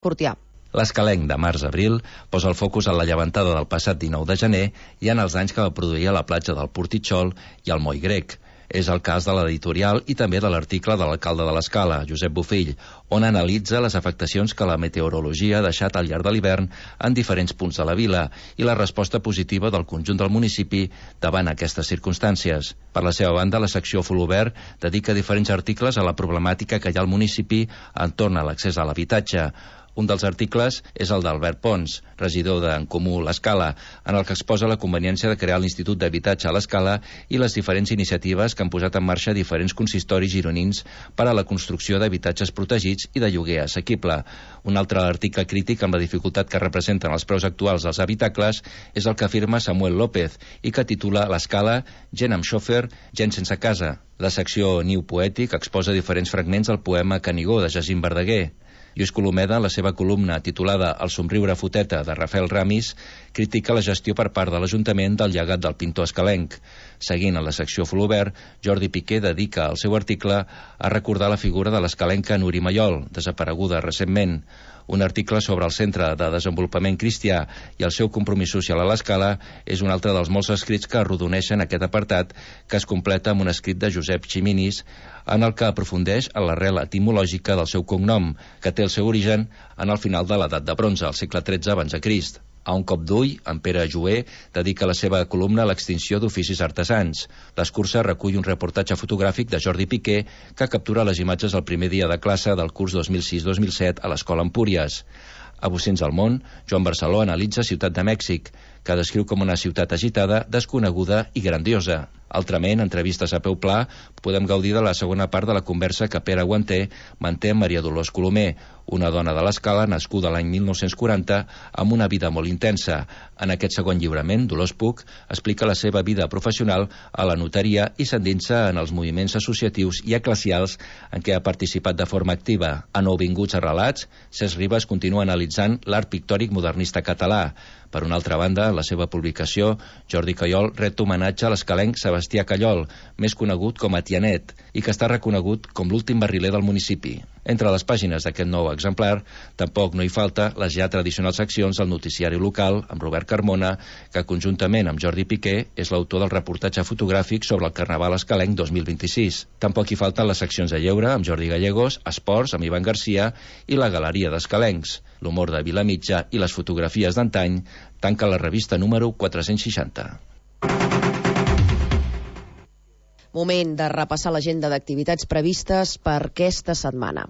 Fortià. L'Escalenc de març-abril posa el focus en la llevantada del passat 19 de gener i en els danys que va produir a la platja del Portitxol i al Moll Grec. És el cas de l'editorial i també de l'article de l'alcalde de l'Escala, Josep Bofill, on analitza les afectacions que la meteorologia ha deixat al llarg de l'hivern en diferents punts de la vila i la resposta positiva del conjunt del municipi davant aquestes circumstàncies. Per la seva banda, la secció Folobert dedica diferents articles a la problemàtica que hi ha al municipi entorn a l'accés a l'habitatge. Un dels articles és el d'Albert Pons, regidor d'En Comú l'Escala, en el que exposa la conveniència de crear l'Institut d'Habitatge a l'Escala i les diferents iniciatives que han posat en marxa diferents consistoris gironins per a la construcció d'habitatges protegits i de lloguer assequible. Un altre article crític amb la dificultat que representen els preus actuals dels habitacles és el que afirma Samuel López i que titula l'Escala, gent amb xòfer, gent sense casa. La secció Niu Poètic exposa diferents fragments del poema Canigó de Jacint Verdaguer. Lluís Colomeda, en la seva columna titulada El somriure foteta de Rafael Ramis, critica la gestió per part de l'Ajuntament del llegat del pintor escalenc. Seguint en la secció Folobert, Jordi Piqué dedica el seu article a recordar la figura de l'escalenca Nuri Maiol, desapareguda recentment. Un article sobre el Centre de Desenvolupament Cristià i el seu compromís social a l'Escala és un altre dels molts escrits que arrodoneixen aquest apartat, que es completa amb un escrit de Josep Ximinis, en el que aprofundeix en l'arrel etimològica del seu cognom, que té el seu origen en el final de l'edat de bronze, al segle XIII abans de Crist. A un cop d'ull, en Pere Joer dedica la seva columna a l'extinció d'oficis artesans. L'escurça recull un reportatge fotogràfic de Jordi Piqué que captura les imatges del primer dia de classe del curs 2006-2007 a l'Escola Empúries. A Bocins al món, Joan Barceló analitza Ciutat de Mèxic, que descriu com una ciutat agitada, desconeguda i grandiosa. Altrament, entrevistes a peu pla, podem gaudir de la segona part de la conversa que Pere Guanter manté amb Maria Dolors Colomer, una dona de l'Escala nascuda l'any 1940 amb una vida molt intensa. En aquest segon lliurament, Dolors Puig explica la seva vida professional a la notaria i s'endinsa en els moviments associatius i eclesials en què ha participat de forma activa. A Nouvinguts a relats, Cesc Ribas continua analitzant l'art pictòric modernista català. Per una altra banda, en la seva publicació, Jordi Callol ret homenatge a l'escalenc Sebastià Callol, més conegut com a Tianet, i que està reconegut com l'últim barriler del municipi. Entre les pàgines d'aquest nou exemplar, tampoc no hi falta les ja tradicionals seccions del noticiari local, amb Robert Carmona, que conjuntament amb Jordi Piqué és l'autor del reportatge fotogràfic sobre el Carnaval escalenc 2026. Tampoc hi falten les seccions de lleure, amb Jordi Gallegos, esports, amb Ivan Garcia, i la Galeria d'Escalencs. L'humor de Vilamitja i les fotografies d'antany tanca la revista número 460. Moment de repassar l'agenda d'activitats previstes per aquesta setmana.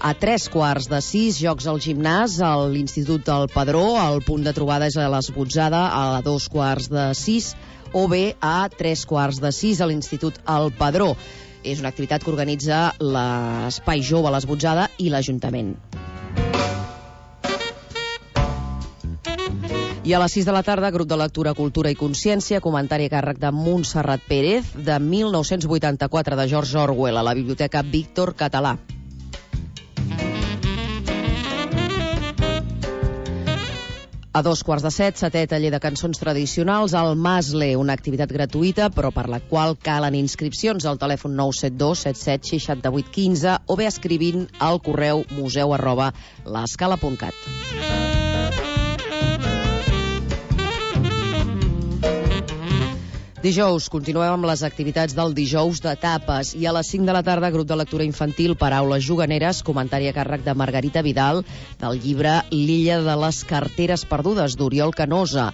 A 5:45, jocs al gimnàs, a l'Institut del Padró. El punt de trobada és a l'Esbotzada, a 2:45, o bé a 3:45 a l'Institut El Padró. És una activitat que organitza l'Espai Jove a l'Esbotzada i l'Ajuntament. I a les 6 de la tarda, grup de lectura, cultura i consciència, comentari a càrrec de Montserrat Pérez, de 1984, de George Orwell, a la Biblioteca Víctor Català. A 2:15, setè taller de cançons tradicionals al Masle, una activitat gratuïta, però per la qual calen inscripcions al telèfon 972 77 68 15 o bé escrivint al correu museu@l'escala.cat. Dijous, continuem amb les activitats del dijous de tapes i a les 5 de la tarda, grup de lectura infantil, paraules juganeres, comentari a càrrec de Margarita Vidal del llibre L'illa de les carteres perdudes, d'Oriol Canosa.